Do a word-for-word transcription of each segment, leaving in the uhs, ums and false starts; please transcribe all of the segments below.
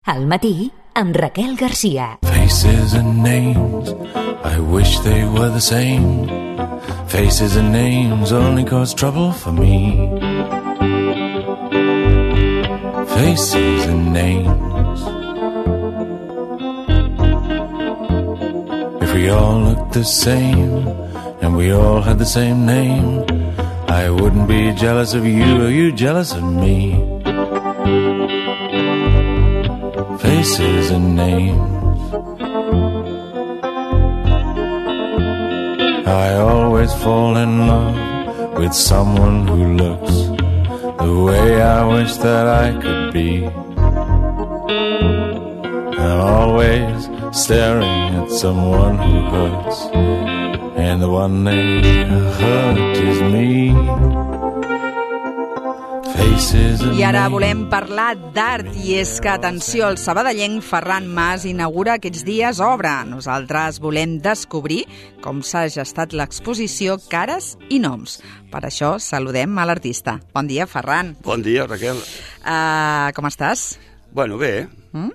Al matí, amb Raquel Garcia. Faces and names, I wish they were the same. Faces and names only cause trouble for me. Faces and names. If we all looked the same and we all had the same name, I wouldn't be jealous of you or you jealous of me. Faces and names. I always fall in love with someone who looks the way I wish that I could be. I'm always staring at someone who hurts, and the one they hurt is me. I ara volem parlar d'art, i és que, atenció, el sabadellenc Ferran Mas inaugura aquests dies obra. Nosaltres volem descobrir com s'ha gestat l'exposició Cares i Noms. Per això saludem a l'artista. Bon dia, Ferran. Bon dia, Raquel. Uh, com estàs? Bueno, bé. Mm?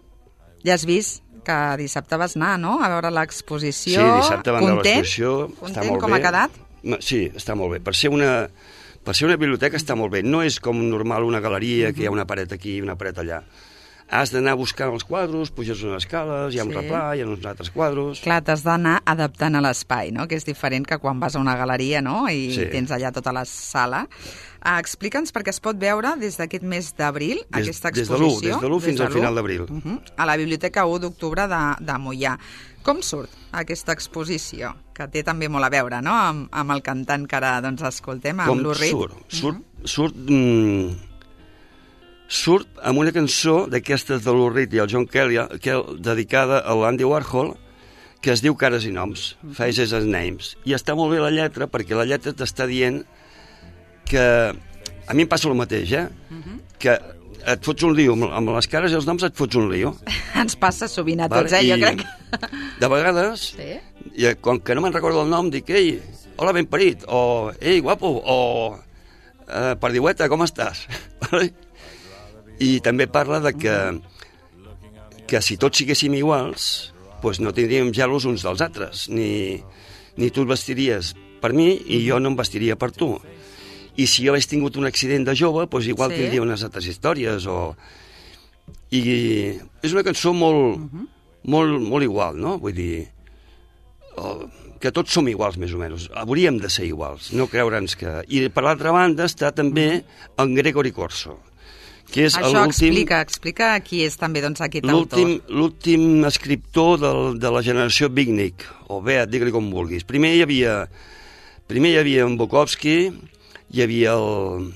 Ja has vist que dissabte vas anar, no?, a veure l'exposició. Sí, dissabte vam veure l'exposició. Content? Està molt Com bé. ha quedat? Sí, està molt bé. Per ser una... Per ser una biblioteca està molt bé. No és com normal una galeria, que hi ha una paret aquí i una paret allà. Has d'anar buscant els quadros, puges unes escales, hi ha un Sí. replà, hi ha uns altres quadros... Clar, t'has d'anar adaptant a l'espai, no?, que és diferent que quan vas a una galeria, no?, i Sí. tens allà tota la sala. Uh, Explica'ns perquè es pot veure des d'aquest mes d'abril, Des- aquesta des de l'u, exposició. des de l'u fins al l'u, final d'abril. uh -huh, a la Biblioteca u d'octubre de, de Moià. Com surt aquesta exposició? Que té també molt a veure, no?, amb, amb el cantant que ara doncs, escoltem, amb Com l'Urrit. surt? Surt, surt, mm, surt amb una cançó d'aquestes de l'Urrit i el John Kelly, que, dedicada a l'Andy Warhol, que es diu Cares i Noms, Faces and Names. I està molt bé la lletra, perquè la lletra t'està dient que... A mi em passa el mateix, eh? Que et fots un lío, amb les cares i els noms et fots un lío. Ens passa sovint a tots, Vale? eh? Jo I crec. De vegades, Sí? i com que no me'n recordo el nom, dic, ei, hola, ben parit, o ei, guapo, o eh, perdiueta, com estàs? Vale? I també parla de que, que si tots siguéssim iguals, doncs no tindríem gelos uns dels altres, ni, ni tu et vestiries per mi i jo no em vestiria per tu. I si jo hagués tingut un accident de jove, doncs igual Sí. tindria unes altres històries, o... I és una cançó molt, molt, molt igual, no? Vull dir, o, que tots som iguals, més o menys. Hauríem de ser iguals, no creure'ns que... I per l'altra banda està també en Gregory Corso, que és Això l'últim... explica, explica qui és també doncs, aquest L'últim autor. l'últim escriptor del, de la generació Beatnik, o Beat, digue-li com vulguis. Primer hi havia, primer hi havia en Bukowski, hi havia el,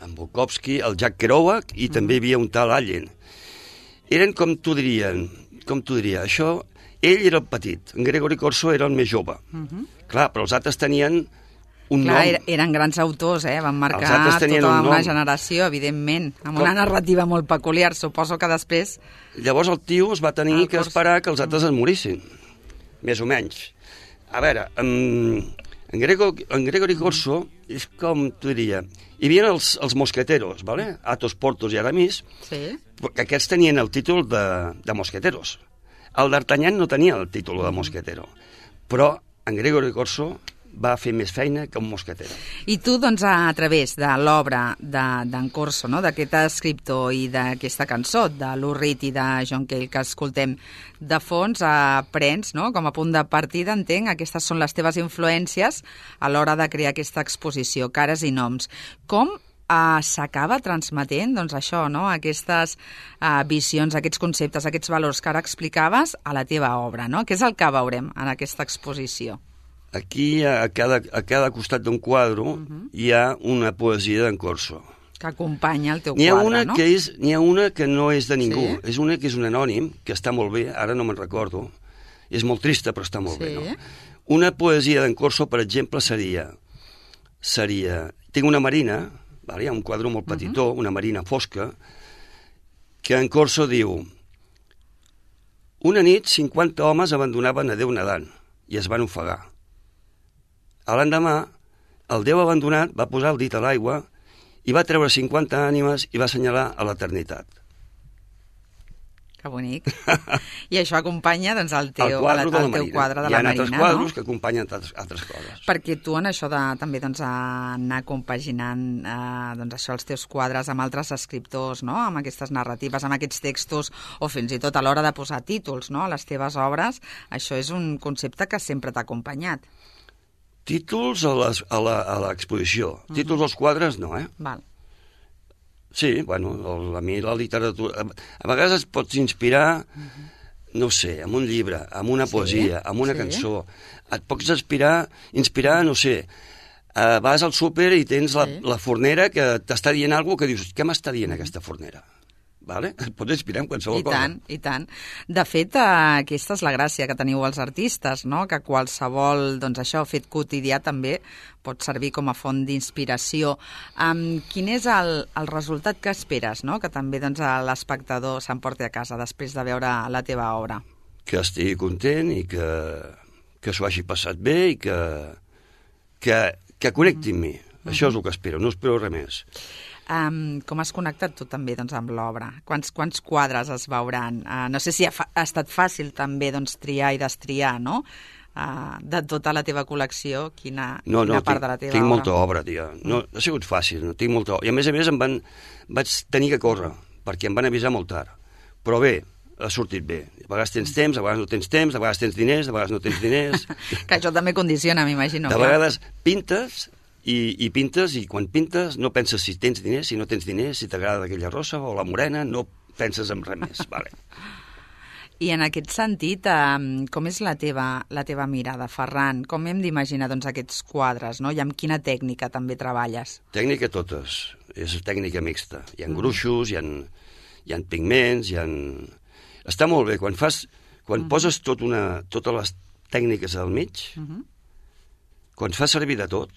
en Bukowski, el Jack Kerouac, i mm. també hi havia un tal Allen. Eren, com t'ho dirien, com t'ho diria, això... Ell era el petit, en Gregory Corso era el més jove. Mm -hmm. Clar, però els altres tenien un Clar, nom. er- eren grans autors, eh? Van Els marcar altres tenien tota un una nom. generació, evidentment, amb Com? una narrativa molt peculiar. Suposo que després... Llavors el tio es va tenir El que Corso. esperar que els altres es morissin, més o menys. A veure, en, en, Grego, en Gregory Corso és com t'ho diria... Hi havia els, els mosqueteros, ¿vale? Athos, Porthos i Aramis, Sí. que aquests tenien el títol de, de mosqueteros. El d'Artagnan no tenia el títol de mosquetero, però en Gregory Corso va fer més feina que un mosquetero. I tu, doncs, a través de l'obra d'en de, Corso, no?, d'aquest escriptor i d'aquesta cançó, de l'Urrit i de John Cale, que escoltem de fons, aprens, no?, com a punt de partida, entenc, aquestes són les teves influències a l'hora de crear aquesta exposició, Cares i Noms. Com Uh, s'acaba transmetent, doncs això, no?, aquestes uh, visions, aquests conceptes, aquests valors que ara explicaves a la teva obra, no? Què és el que veurem en aquesta exposició? Aquí, a cada, a cada costat d'un quadre, uh -huh. hi ha una poesia d'en Corso. Que acompanya el teu N'hi ha quadre, una no? que és, n'hi ha una que no és de ningú, Sí? és una que és un anònim, que està molt bé, ara no me'n recordo, és molt trista però està molt Sí. bé, no? Una poesia d'en Corso, per exemple, seria, seria, tinc una marina, vale? Hi ha un quadre molt petitó, uh -huh. una marina fosca, que en Corso diu: una nit cinquanta homes abandonaven a Déu nedant i es van ofegar. A l'endemà, el Déu abandonat va posar el dit a l'aigua i va treure cinquanta ànimes i va assenyalar a l'eternitat. Que bonic. I això acompanya doncs, el teu, el quadre el, de la el teu Marina. quadre de Hi la ha Marina, altres quadros no? que acompanyen altres, altres coses. Perquè tu en això de també doncs, anar compaginant eh, doncs, això, els teus quadres amb altres escriptors, no? Amb aquestes narratives, amb aquests textos, o fins i tot a l'hora de posar títols, no? A les teves obres, això és un concepte que sempre t'ha acompanyat. Títols a les- a la- a l'exposició. Uh -huh. Títols als quadres, no, eh? Val. Sí, bueno, el, a mi la literatura... A, a vegades et pots inspirar, no sé, amb un llibre, amb una Sí, poesia, amb una sí. cançó. Et pots inspirar, inspirar, no sé, uh, vas al súper i tens la, Sí. la fornera que t'està dient alguna cosa que dius, què m'està dient aquesta fornera? Vale? Et pots inspirar en qualsevol I cosa. tant, i tant. De fet, eh, aquesta és la gràcia que teniu els artistes, no? Que qualsevol, doncs això, fet quotidià també pot servir com a font d'inspiració. Um, quin és el, el resultat que esperes, no? Que també doncs, l'espectador s'emporti a casa després de veure la teva obra? Que estigui content i que, que s'ho hagi passat bé i que, que, que connecti amb mi. Això és el que espero, no espero res més. Um, com has connectat tu també doncs, amb l'obra? Quants, quants quadres es veuran? Uh, no sé si ha, fa, ha estat fàcil també doncs, triar i destriar, no? Uh, de tota la teva col·lecció, quina, No, quina no, part tinc, de la teva tinc obra? molta obra, tia. No, no ha sigut fàcil, no tinc molta obra. I a més a més em van, vaig tenir que córrer, perquè em van avisar molt tard. Però bé, ha sortit bé. A vegades tens temps, a vegades no tens temps, a vegades tens diners, a vegades no tens diners. Que això també condiciona, m'imagino. De clar. vegades pintes i, i pintes, i quan pintes no penses si tens diners, si no tens diners, si t'agrada aquella rosa o la morena, no penses en res més. Vale. I en aquest sentit, eh, com és la teva, la teva mirada, Ferran? Com hem d'imaginar doncs, aquests quadres, no? I amb quina tècnica també treballes? Tècnica totes, és tècnica mixta. Hi ha gruixos, hi ha, hi ha pigments, hi ha... Està molt bé, quan fas... Quan poses tot una, totes les tècniques al mig, quan fas servir de tot,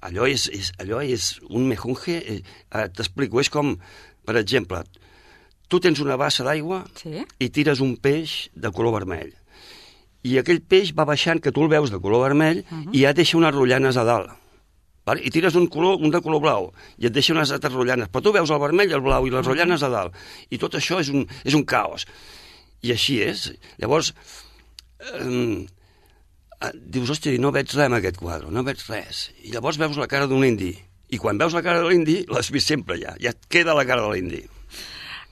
allò és, és, allò és un mejunje... Eh, eh, T'explico, és com, per exemple, tu tens una bassa d'aigua Sí? i tires un peix de color vermell. I aquell peix va baixant, que tu el veus de color vermell, i ja et deixa unes rotllanes a dalt. Vale? I tires un, color, un de color blau, i et deixa unes altres rotllanes. Però tu veus el vermell, el blau i les rotllanes a dalt. I tot això és un, és un caos. I així és. Llavors, eh, dius, hòstia, no veig res en aquest quadre, no veig res. I llavors veus la cara d'un indi. I quan veus la cara de l'indi, l'has vist sempre ja. Ja et queda la cara de l'indi.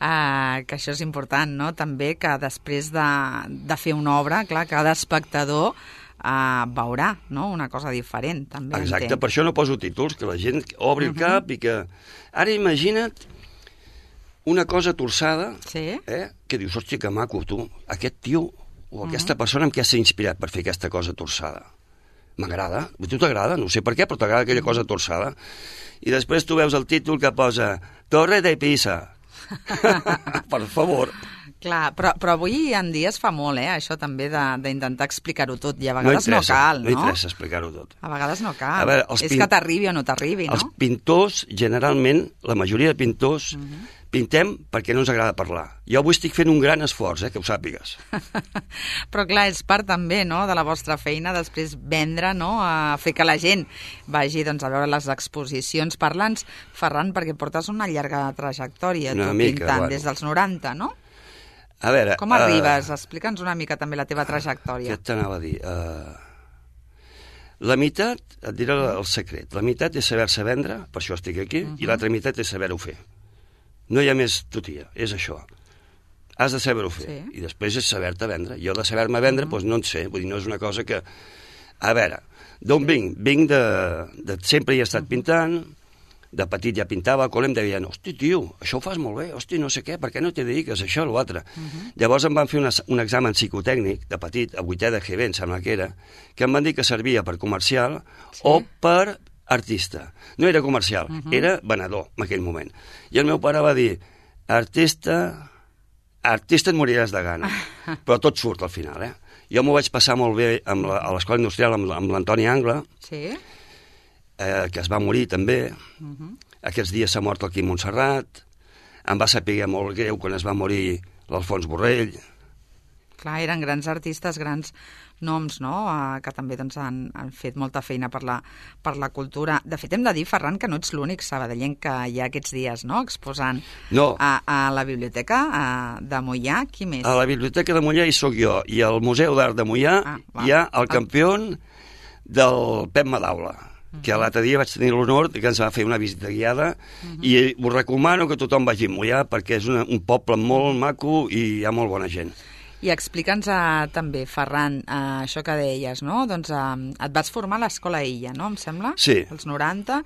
Uh, que això és important, no? També que després de, de fer una obra, clar, cada espectador uh, veurà, no? Una cosa diferent, també. Exacte, entenc. per això no poso títols, que la gent obri el cap i que... Ara imagina't una cosa torçada, Sí? eh? Que dius, hòstia, que maco, tu, aquest tio o aquesta persona amb què s'ha inspirat per fer aquesta cosa torçada. M'agrada, a tu t'agrada, no sé per què, però t'agrada aquella cosa torçada. I després tu veus el títol que posa Torre de Pisa. Per favor. Clar, però, però avui en dia es fa molt, eh? Això també de- d'intentar explicar-ho tot, i a No vegades no, interessa, cal, no no? interessa explicar-ho tot. A vegades no cal. A veure, els és pin- que t'arribi o no t'arribi, no? Els pintors, generalment, la majoria de pintors, pintem perquè no ens agrada parlar. Jo avui estic fent un gran esforç, eh, que ho sàpigues. Però clar, és part també, no?, de la vostra feina després vendre, no?, a fer que la gent vagi doncs, a veure les exposicions. Parla'ns, Ferran, perquè portes una llarga trajectòria Una tu mica, pintant, bueno. des dels noranta, no? A veure... Com arribes? Explica'ns una mica també la teva trajectòria. Què t'anava a dir? Uh, la meitat, et diré el secret, la meitat és saber-se vendre, per això estic aquí, i l'altra meitat és saber-ho fer. No hi ha més tutia, és això. Has de saber-ho fer, Sí. i després és saber-te vendre. Jo de saber-me vendre, doncs no en sé, vull dir, no és una cosa que... A veure, d'on vinc? Vinc de, de... Sempre hi he estat pintant, de petit ja pintava, al col·le em deien, hosti, tio, això ho fas molt bé, hosti, no sé què, per què no t'hi dediques a això o l'altre? Llavors em van fer una, un examen psicotècnic, de petit, a vuitè de G B, em sembla que era, que em van dir que servia per comercial o per artista. No era comercial, era venedor en aquell moment. I el meu pare va dir, artista... Artista et moriràs de gana, però tot surt al final, eh? Jo m'ho vaig passar molt bé amb la, a l'Escola Industrial amb, amb l'Antoni Angla, Sí? eh, que es va morir també. Aquests dies s'ha mort el Quim Montserrat. Em va saber molt greu quan es va morir l'Alfons Borrell. Clar, eren grans artistes, grans noms, no?, uh, que també doncs, han, han fet molta feina per la, per la cultura. De fet, hem de dir, Ferran, que no ets l'únic sabadellenc que hi ha aquests dies, no?, exposant no. A, a la biblioteca a, de Moià. Qui més? A la biblioteca de Moià hi sóc jo, i al Museu d'Art de Moià ah, hi ha el campió del Pep Madaula, que l'altre dia vaig tenir l'honor que ens va fer una visita guiada, uh-huh. i us recomano que tothom vagi a Moià perquè és una, un poble molt maco i hi ha molt bona gent. I explica'ns uh, també, Ferran, uh, això que deies, no? Doncs uh, et vas formar a l'Escola Illa, no?, em sembla? Sí. Als noranta,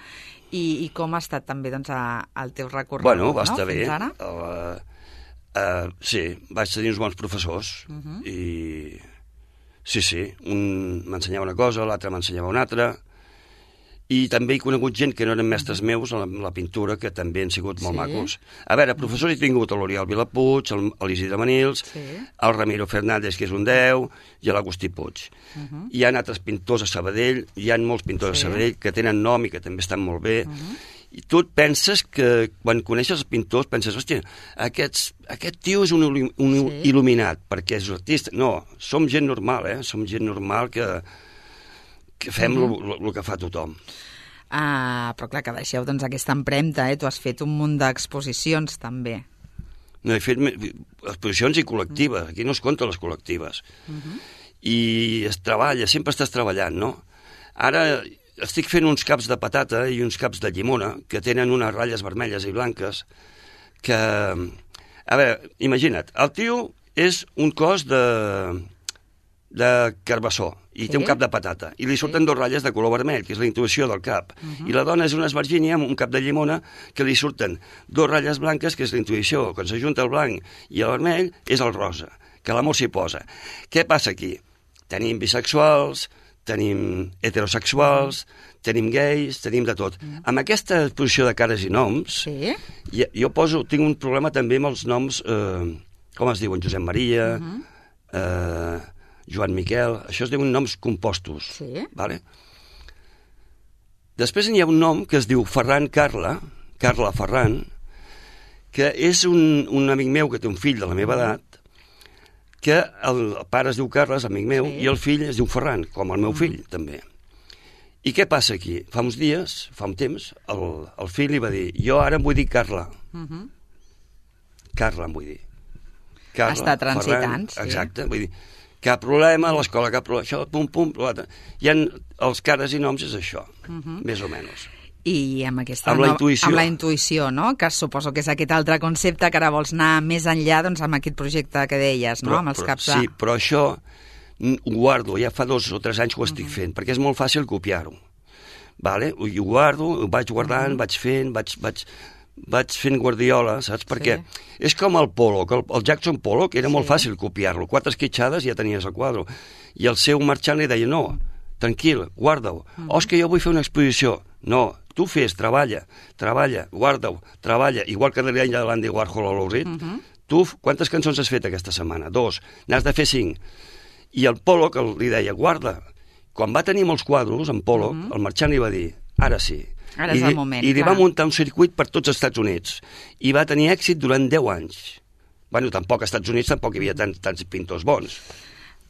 i, i com ha estat també doncs, uh, el teu recorregut, bueno, va no?, estar fins bé. ara? Uh, uh, sí, vaig tenir uns bons professors, uh-huh. i sí, sí, un m'ensenyava una cosa, l'altre m'ensenyava una altra, i també he conegut gent que no eren mestres meus en la, la pintura, que també han sigut molt sí. macos. A veure, professors he tingut l'Oriol Vilapuig, l'Isidre Manils, sí. el Ramiro Fernández, que és un deu, i l'Agustí Puig. Uh-huh. Hi ha altres pintors a Sabadell, hi ha molts pintors sí. a Sabadell que tenen nom i que també estan molt bé. Uh-huh. I tu et penses que, quan coneixes els pintors, penses, hòstia, aquests, aquest tio és un, un sí. il·luminat, perquè és un artista. No, som gent normal, eh? Som gent normal que... que fem el mm-hmm. que fa tothom. Ah, però clar, que deixeu doncs, aquesta empremta, eh? Tu has fet un munt d'exposicions, també. No, he fet exposicions i col·lectives, aquí no es compten les col·lectives. Mm-hmm. I es treballa, sempre estàs treballant, no? Ara estic fent uns caps de patata i uns caps de llimona, que tenen unes ratlles vermelles i blanques, que... A veure, imagina't, el tio és un cos de... de carbassó, i sí. té un cap de patata, i li surten sí. dos ratlles de color vermell, que és la intuïció del cap, uh-huh. i la dona és una esvergínia amb un cap de llimona que li surten dos ratlles blanques, que és la intuïció. Quan s'ajunta el blanc i el vermell, és el rosa, que l'amor s'hi posa. Què passa aquí? Tenim bisexuals, tenim heterosexuals, uh-huh. tenim gais, tenim de tot. Uh-huh. Amb aquesta exposició de cares i noms, sí. jo, jo poso, tinc un problema també amb els noms, eh, com es diuen, Josep Maria, uh-huh. eh, Joan Miquel, això es diuen noms compostos. Sí. Vale? Després hi ha un nom que es diu Ferran Carla, Carla Ferran, que és un, un amic meu que té un fill de la meva edat, que el, el pare es diu Carles, amic meu, sí. i el fill es diu Ferran, com el meu fill, mm. també. I què passa aquí? Fa uns dies, fa un temps, el, el fill li va dir, jo ara em vull dir Carla. Mm-hmm. Carla em vull dir. Carla, està transitant, Ferran, sí. Exacte, vull dir, cap problema, a l'escola cap problema, això, pum, pum, l'altre. Hi ha els cares i noms, és això, uh-huh. més o menys. I amb aquesta... Amb la intuïció. Amb la intuïció, no?, que suposo que és aquest altre concepte que ara vols anar més enllà, doncs, amb aquest projecte que deies, no?, però, amb els però, caps de... Sí, però això ho guardo, ja fa dos o tres anys que ho estic uh-huh. fent, perquè és molt fàcil copiar-ho. Vale? Ho guardo, ho vaig guardant, uh-huh. vaig fent, vaig... vaig vaig fent guardiola, saps? Perquè sí. és com el Pollock, el, el Jackson Pollock era sí. molt fàcil copiar-lo, quatre esquitxades ja tenies el quadre, i el seu marxant li deia, no, tranquil, guarda-ho, mm. oh, és que jo vull fer una exposició, no, tu fes, treballa, treballa, guarda-ho, treballa, igual que li deia l'Andy Warhol a l'Ourit, mm-hmm. tu, quantes cançons has fet aquesta setmana? Dos, n'has de fer cinc, i el Pollock li deia, guarda, quan va tenir molts quadros, en Pollock, mm-hmm. el marxant li va dir, ara sí, Ara és I, el moment, i li clar. va muntar un circuit per tots els Estats Units i va tenir èxit durant deu anys. Bueno, tampoc als Estats Units tampoc hi havia tants, tants pintors bons.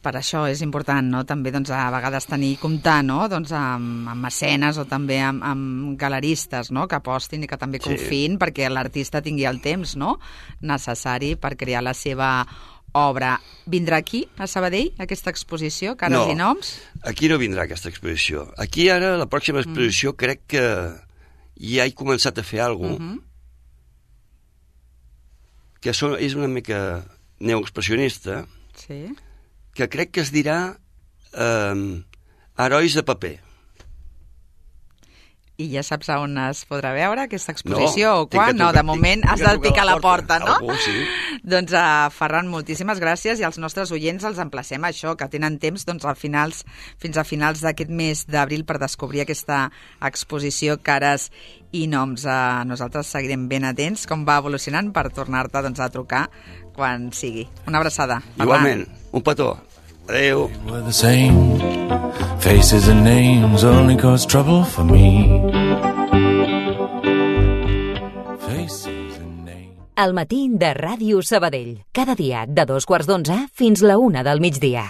Per això és important, no?, també doncs, a vegades tenir comptar, no?, doncs, amb, amb mecenes o també amb, amb galeristes, no?, que apostin i que també confiïn sí. perquè l'artista tingui el temps, no?, necessari per crear la seva obra. Vindrà aquí, a Sabadell, aquesta exposició, Cares no, i Noms? Aquí no vindrà aquesta exposició. Aquí ara, la pròxima exposició, mm. crec que ja he començat a fer alguna cosa mm-hmm. que so, és una mica neoexpressionista, sí. que crec que es dirà eh, Herois de paper. I ja saps a on es podrà veure aquesta exposició no, o quan? Trucar, no, de moment has de picar la porta, la porta no? Algú, sí. Doncs, uh, Ferran, moltíssimes gràcies i als nostres oients els emplacem a això, que tenen temps doncs, a finals, fins a finals d'aquest mes d'abril per descobrir aquesta exposició Cares i Noms. Uh, nosaltres seguirem ben atents com va evolucionant per tornar-te doncs, a trucar quan sigui. Una abraçada. Igualment, un petó. Adéu. We're the same. Faces and names only cause trouble for me. Faces and names. al matí de Ràdio Sabadell. Cada dia de dos quarts d'onze fins la una del migdia.